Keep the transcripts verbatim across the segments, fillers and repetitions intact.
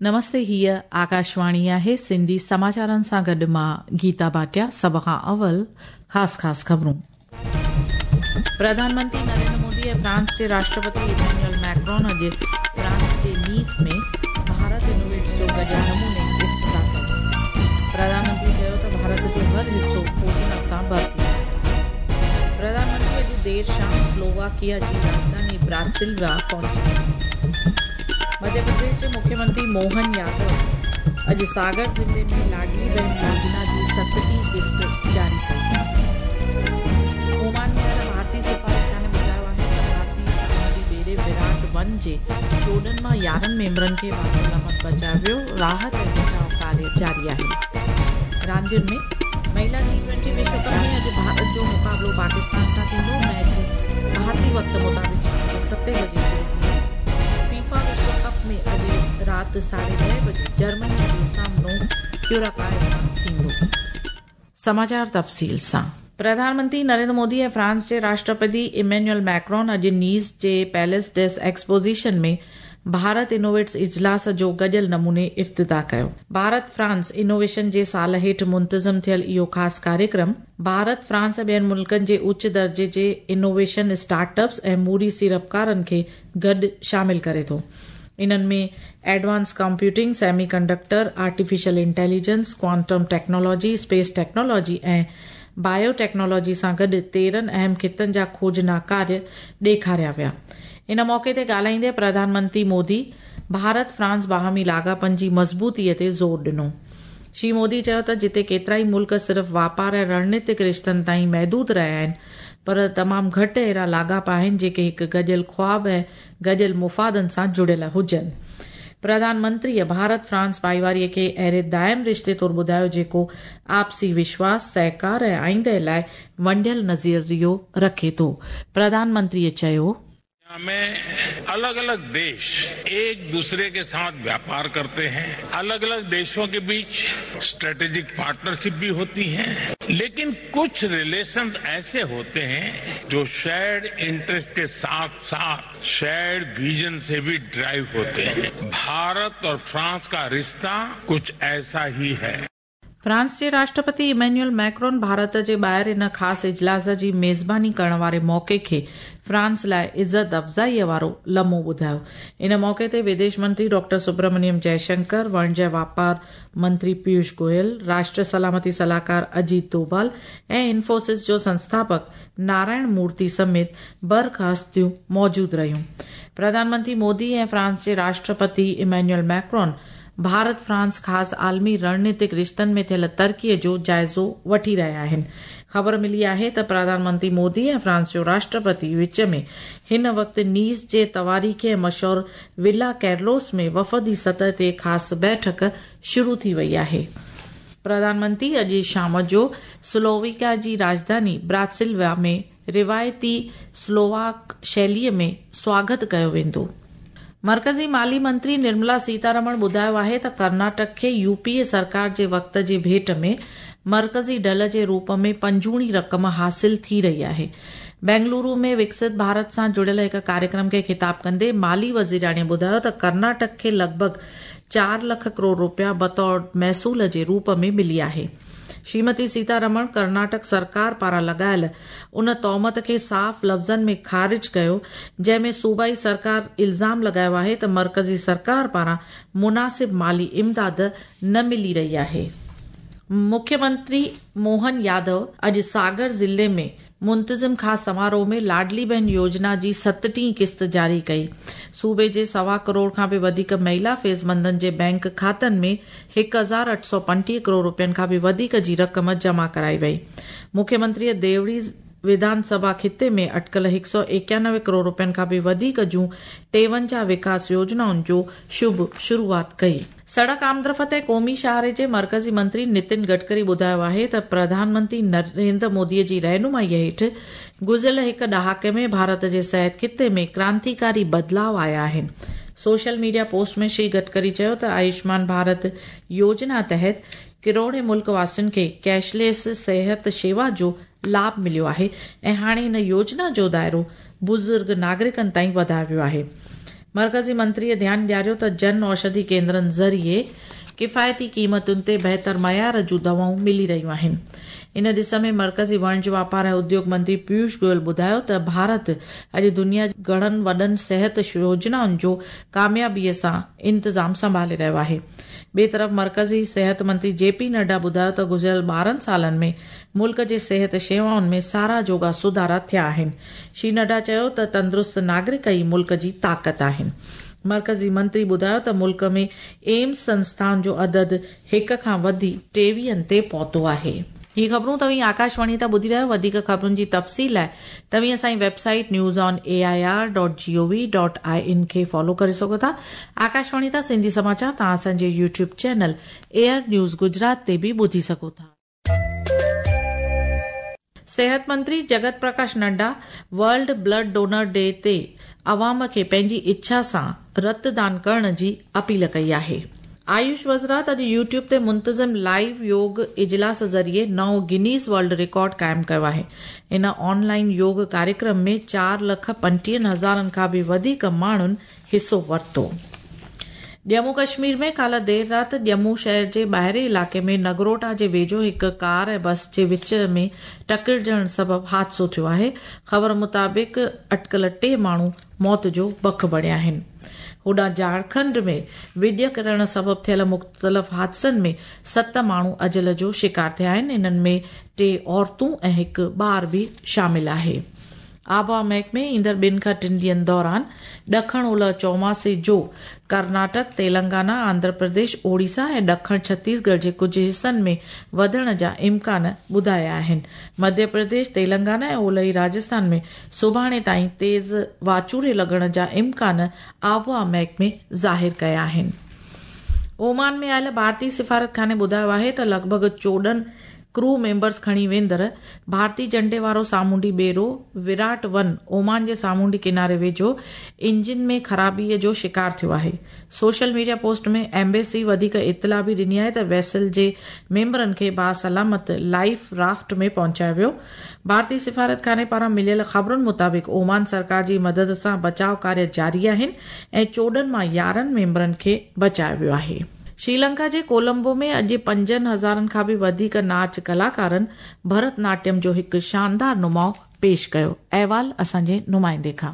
नमस्ते, हीअ आकाशवाणी आहे। सिंधी समाचारनि सां गॾु मां गीता भाटिया। सभ खां अवल ख़ासि ख़ासि ख़बरूं। प्रधानमंत्री नरेंद्र मोदी ऐं फ्रांस जे राष्ट्रपति इमैनुअल मैक्रोन अॼु फ्रांस जे नीस में भारत इनोवेट्स जो गॾियल नमूने इफ्तिताह कयो। प्रधानमंत्री चयो त भारत जो हर हिसो खोजना सां भरपूर आहे। प्रधानमंत्री अॼु देरि शाम स्लोवाकिया जी राजधानी ब्रातिस्लावा पहुची। मध्य प्रदेश जे मुख्यमंत्री मोहन यादव अॼु सागर ज़िले में लाडली बहन योजना जी सतटीह क़िस्त जारी कई। ओमान में आयल भारतीय सिफारतखाने ॿुधायो आहे त भारतीय समुंद्री ॿेड़े विराट वन जे चोॾहं मां यारहं मेंबरनि खे बासलामत बचायो वियो। राहत ऐं बचाव कार्य जारी आहे। रांदियुनि में महिला टी ट्वेंटी विश्व कप में अॼु भारत जो मुक़ाबिलो पाकिस्तान सां थींदो। मैच भारतीय वक़्त मुताबिक़ शाम जो सतें बजे शुरू थींदो। फीफा विश्व कप में अॼु राति साढे ॾह बजे जर्मनी जो सामनो क्यूराकाओ सां थींदो। समाचार तफ़सील सां। प्रधानमंत्री नरेंद्र मोदी ऐं फ्रांस जे राष्ट्रपति इमैनुअल मैक्रोन अॼु नीस जे पैलेस डेस एक्सपोज़िशन में भारत इनोवेट्स इजलास जो गॾियल नमूने इफ्तिताह कयो। भारत फ्रांस इनोवेशन जे साल हेठि मुंतज़िम थियल इहो ख़ासि कार्यक्रम भारत, फ्रांस ऐं ॿियनि मुल्कनि जे उच्च दर्जे जे इनोवेशन स्टार्टअप्स ऐं मूरी सीड़पकारनि खे गॾु शामिल करे थो। इन्हनि में advance computing, semiconductor, artificial intelligence, quantum technology, space technology ऐं बायोटेक्नोलॉजी सां गॾु तेरहं अहम ख़ितनि जा खोजना कार्य ॾेखारिया विया। इन मौक़े ते ॻाल्हाईंदे प्रधानमंत्री मोदी भारत फ्रांस बाहमी लाॻापनि जी मज़बूतीअ ते ज़ोर ॾिनो। श्री मोदी चयो त जिते केतिरा ई मुल्क सिर्फ़ वापार ऐं रणनीतिक रिश्तनि ताईं महदूद रहिया आहिनि, पर तमामु घटि अहिड़ा लाॻापा आहिनि जेके हिकु गॾियल ख़्वाब ऐं गॾियल मुफ़ादनि सां जुड़ियल हुजनि। प्रधानमंत्रीअ भारत फ्रांस भाईवारीअ खे अहिड़े दायम रिश्ते तौरु ॿुधायो जेको आपसी विश्वास, सहकार ऐं आईंदे लाइ वंडियल नज़रियो रखे थो। प्रधानमंत्रीअ चयो, में अलग अलग देश एक दूसरे के साथ व्यापार करते हैं, अलग अलग देशों के बीच स्ट्रेटेजिक पार्टनरशिप भी होती है, लेकिन कुछ रिलेशंस ऐसे होते हैं जो शेयर्ड इंटरेस्ट के साथ साथ शेयर्ड विजन से भी ड्राइव होते हैं। भारत और फ्रांस का रिश्ता कुछ ऐसा ही है। फ्रांस जे राष्ट्रपति इमैनुअल मैक्रोन भारत जे ॿाहिरि इन ख़ासि इजलास जी मेज़बानी करण वारे मौक़े खे फ्रांस लाइ इज़त अफ़ज़ाईअ वारो लम्हो ॿुधायो। इन मौक़े ते विदेश मंत्री डॉक्टर सुब्रमण्यम जयशंकर, वणिज वापार मंत्री पीयूष गोयल, राष्ट्र सलामती सलाहकार अजीत डोभाल ऐं इन्फोसिस जो संस्थापक नारायण मूर्ति समेत बरख़ास्तियूं मौजूदु रहियूं। प्रधानमंत्री मोदी ऐं फ्रांस जे राष्ट्रपति इमैनुअल मैक्रोन भारत फ्रांस ख़ासि आलमी रणनीतिक रिश्तनि में थियल तरक़ीअ जो जाइज़ो वठी रहिया आहिनि। ख़बर मिली आहे त प्रधानमंत्री मोदी ऐं फ्रांस जो राष्ट्रपति विच में हिन वक़्तु नीस जे तवारीख़ी ऐं मशहूर विला कैरलोस में वफ़दी सतह ते ख़ासि बैठक शुरू थी वई आहे। प्रधानमंत्री अॼु शाम जो स्लोवाकिया जी राजधानी ब्रातिस्लावा में रिवायती स्लोवाक शैलीअ में स्वागत कयो वेंदो। मर्कज़ी माली मंत्री निर्मला सीतारमण ॿुधायो आहे त कर्नाटक खे यूपीए सरकार जे वक़्त जे भेंट में मर्कज़ी ढल जे रूप में पंजूणी रक़म हासिल थी रही आहे। बेंगलुरु में विकसित भारत सां जुड़ियल हिकु कार्यक्रम खे ख़िताब कंदे माली वज़ीराणीअ ॿुधायो त कर्नाटक खे लॻभॻि चार लख करोड़ रुपया बतौर महसूल जे रूप में मिली आहे। श्रीमती सीतारमण कर्नाटक सरकार पारां लॻायल उन तोहमत खे साफ़ लफ़्ज़नि में ख़ारिज कयो जंहिं में सूबाई सरकार इल्ज़ाम लॻायो आहे त मर्कज़ी सरकार पारां मुनासिब माली इमदाद न मिली रही आहे। मुख्यमंत्री मोहन यादव अॼु सागर ज़िले में मुंतज़िम ख़ासि समारोह में लाडली बहन योजना जी सतटीह क़िस्त जारी कई। सूबे जे सवा करोड़ खां बि वधीक महिला फ़ैज़मंदनि जे बैंक खातनि में हिकु हज़ार अठ सौ पंटीह करोड़ रुपयनि खां बि वधीक जी रक़म जमा कराई वई। मुख्यमंत्रीअ देवड़ी विधानसभा ख़िते में अटकल हिकु सौ एकानवे करोड़ रुपयनि खां बि वधीक जूं टेवंजाह विकास योजनाउनि जो शुभ शुरूआत कई। सड़क आमदरफ़्त ऐं क़ौमी शाहरे जे मर्कज़ी मंत्री नितिन गडकरी ॿुधायो आहे त प्रधानमंत्री नरेंद्र मोदीअ जी रहनुमाईअ हेठि गुज़िरियल हिकु ॾहाके में भारत जे सिहत ख़िते में क्रांतिकारी बदिलाव आया आहिनि। सोशल मीडिया पोस्ट में श्री गडकरी चयो त आयुष्मान भारत योजना तहत किरोड़े मुल्क वासियुनि खे कैशलेस सिहत शेवा जो लाभ मिलियो आहे ऐं हाणे हिन योजना जो दायरो बुज़ुर्ग नागरिकनि ताईं वधायो वियो आहे। मर्कज़ी मंत्रीअ ध्यानु ॾियारियो त जन औषधि केंद्रनि ज़रिए किफ़ायती क़ीमतुनि ते बहितर मयार जूं दवाऊं मिली रहियूं आहिनि। इन ॾिस में मर्कज़ी वणिज वापार ऐं उद्योग मंत्री पीयूष गोयल ॿुधायो त भारत अॼु दुनिया जी घणनि वॾनि सिहत योजनाउनि जो कामयाबीअ सां इंतज़ाम संभाले रहियो आहे। ॿिए तरफ़ मर्कज़ी सिहत मंत्री जे पी नड्डा ॿुधायो त गुज़िरियल ॿारहं सालनि में मुल्क जे सिहत शेवाउनि में साराह जोगा सुधारा थिया आहिनि। श्री नड्डा चयो त तंदुरुस्त नागरिक ई मुल्क जी ताक़त आहिनि। मर्कज़ी मंत्री ॿुधायो त मुल्क में एम्स संस्थाउनि जो अदद हिक खां वधी टेवीहनि ते पहुतो आहे। ही ख़बरूं तव्हीं आकाशवाणी तां ॿुधी रहिया आहियो। वधीक ख़बरुनि जी तफ़सील लाइ तव्हीं असांजी website news on A I R dot G O V dot I N खे फॉलो करे सघो था। आकाशवाणी तां सिंधी समाचार तव्हां असांजे YouTube channel AIR news Gujarat ते बि ॿुधी सघो था। सिहत मंत्री Jagat Prakash Nadda world blood donor day ते अवाम खे पंहिंजी इच्छा सां रतदान करण जी अपील कई आहे। आयुष वज़ारत अॼु यूट्यूब ते मुंतज़िम लाइव योग इजलास ज़रिए नओं गिनीज़ वर्ल्ड रिकॉर्ड क़ाइमु कयो आहे। इन ऑनलाइन योग कार्यक्रम में चार लख पंटीहनि हज़ारनि खां बि वधीक माण्हुनि हिसो वरितो। जम्मू कश्मीर में काल्ह देरि राति जम्मू शहर जे ॿाहिरें इलाइक़े में नगरोटा जे वेझो हिकु कार ऐं बस जे विच में टकरिजण सबबु हादिसो थियो आहे। ख़बर मुताबिक़ अटकल टे माण्हू मौत जो बख बणिया आहिनि। होॾां झारखंड में विॼ किरण सबबु थियल मुख़्तलिफ़ हादिसनि में सत माण्हू अजल जो शिकार थिया आहिनि। इन्हनि में टे औरतूं ऐं हिकु ॿार बि शामिल आहे। आबहावा महकमे ईंदड़ ॿिनि खां टिनि ॾींहंनि दौरान ॾखण ओलह चौमासे जो कर्नाटक, तेलंगाना, आंध्र प्रदेश, ओडिशा ऐं ॾखण छत्तीसगढ़ जे कुझु हिसनि में वधण जा इम्कान ॿुधाया आहिनि। मध्य प्रदेश, तेलंगाना ऐं ओलही राजस्थान में सुभाणे ताईं तेज़ वाचूरे लॻण जा इम्कान आबहावा महकमे ज़ाहिर कया आहिनि। ओमान में आयल भारतीय सिफारत खाने ॿुधायो आहे त लॻभॻि चोॾहं क्रू मेंबर्स खणी वेंदड़ भारतीय झंडे वारो सामुंडी ॿेड़ो विराट वन ओमान जे सामुंडी किनारे वेझो इंजिन में ख़राबीअ जो शिकार थियो आहे। सोशल मीडिया पोस्ट में एम्बेसी वधीक इतला बि ॾिनी आहे त वेसल जे मेंबरनि खे बासलामत लाइफ राफ्ट में पहुचायो वियो। भारतीय सिफारत खाने पारां मिलियल ख़बरुनि मुताबिक़ ओमान सरकार जी मदद सां बचाव कार्य जारी आहिनि ऐं चोॾहं मां यारहं मेंबरनि खे बचायो वियो आहे। श्रीलंका जे कोलंबो में अॼु पंजनि हज़ारनि खां बि वधीक नाच कलाकारनि भरतनाट्यम जो हिकु शानदार नुमाउ पेश कयो। अहवाल असांजे नुमाइंदे खां।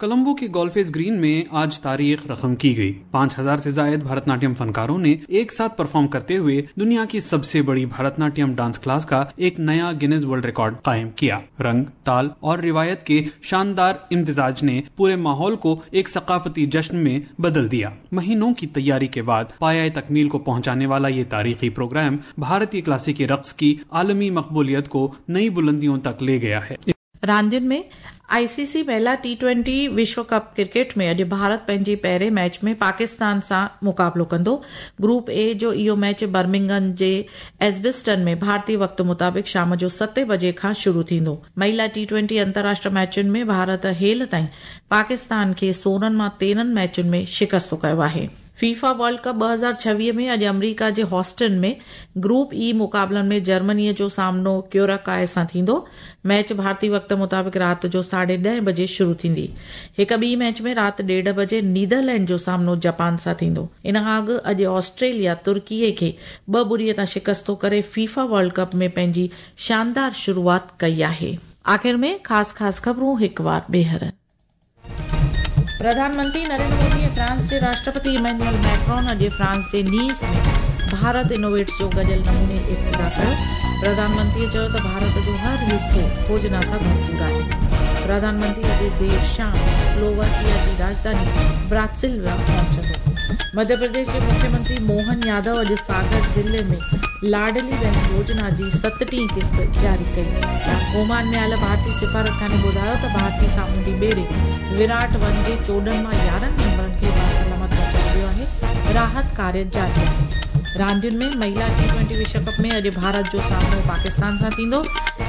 कोलंबो के गोल्फेस ग्रीन में आज तारीख रकम की गई। पाँच हजार से जायद भरतनाट्यम फनकारों ने एक साथ परफॉर्म करते हुए दुनिया की सबसे बड़ी भरतनाट्यम डांस क्लास का एक नया गिनीज वर्ल्ड रिकॉर्ड कायम किया। रंग, ताल और रिवायत के शानदार इम्तिजाज ने पूरे माहौल को एक सकाफती जश्न में बदल दिया। महीनों की तैयारी के बाद पाया तकमील को पहुँचाने वाला ये तारीखी प्रोग्राम भारतीय क्लासिकी रक्स की आलमी मकबूलियत को नई बुलंदियों तक ले गया है। रांदियुनि में आईसीसी महिला टी ट्वेंटी विश्व कप क्रिकेट में अॼु भारत पंहिंजी पहिरें मैच में पाकिस्तान सां मुक़ाबिलो कंदो। ग्रुप ए जो इहो मैच बर्मिंघम जे एजबिस्टन में भारतीय वक़्त मुताबिक़ शाम जो सतें बजे खां शुरू थींदो। महिला टी ट्वेंटी अंतर्राष्ट्रीय मैचुनि में भारत हेल ताईं पाकिस्तान खे सोरहं मां तेरहं मैचुनि में शिकस्त कयो आहे। फीफा वर्ल्ड कप ॿ हज़ार छवीह में अॼु अमरीका जे हॉस्टन में ग्रुप ई मुक़ाबलनि में जर्मनीअ जो सामनो क्यूराकाए सां थींदो। मैच भारतीय वक़्त मुताबिक़ राति जो साढे ॾह बजे शुरू थींदी। हिक ॿी मैच में राति ॾेढ बजे नीदरलैंड जो सामनो जापान सां थींदो। इन खां अॻु अॼु ऑस्ट्रेलिया तुर्कीअ खे ॿ ॿुड़ीअ तां शिकस्तो करे फीफा वर्ल्ड कप में पंहिंजी शानदार शुरूआत कई आहे। आख़िर में ख़ासि ख़ासि ख़बरूं हिकु वार ॿीहर। प्रधानमंत्री नरेंद्र मोदी ऐं फ्रांस जे राष्ट्रपति इमैनुअल मैक्रोन अॼु फ्रांस जे नीस में भारत इनोवेट्स जो गॾियल नमूने इफ्तिताह कयो। प्रधानमंत्रीअ चयो त भारत जो हर हिसो खोजना सां भरपूर आहे। प्रधानमंत्री अॼु देरि शाम स्लोवाकिया जी राजधानी ब्रातिस्लावा पहुचंदो। मध्य प्रदेश जे मुख्यमंत्री मोहन यादव अॼु सागर ज़िले में लाडली बहन योजना जी सतटीह क़िस्त जारी कई। ओमान में आयल भारतीय सिफारत खाने ॿुधायो त भारतीय सामुंडी ॿेड़े विराट वन जे चोॾहं मां यारहं मेंबरनि खे बासलामत पहुचायो वियो आहे। राहत कार्य जारी आहे। रांदियुनि में महिला टी ट्वेंटी विश्व कप में अॼु भारत जो सामनो पाकिस्तान सां थींदो।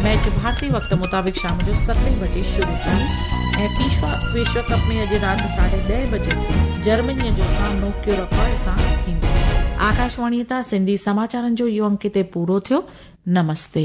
मैच भारतीय वक़्त मुताबिक़ शाम जो सतें बजे शुरू थींदी ऐं फीफा विश्व कप में अॼु राति साढे ॾह बजे जर्मनीअ जो सामनो क्यूराकाओ सां थींदो। आकाशवाणी तां सिंधी समाचारनि जो इहो अंक हिते पूरो थियो। नमस्ते।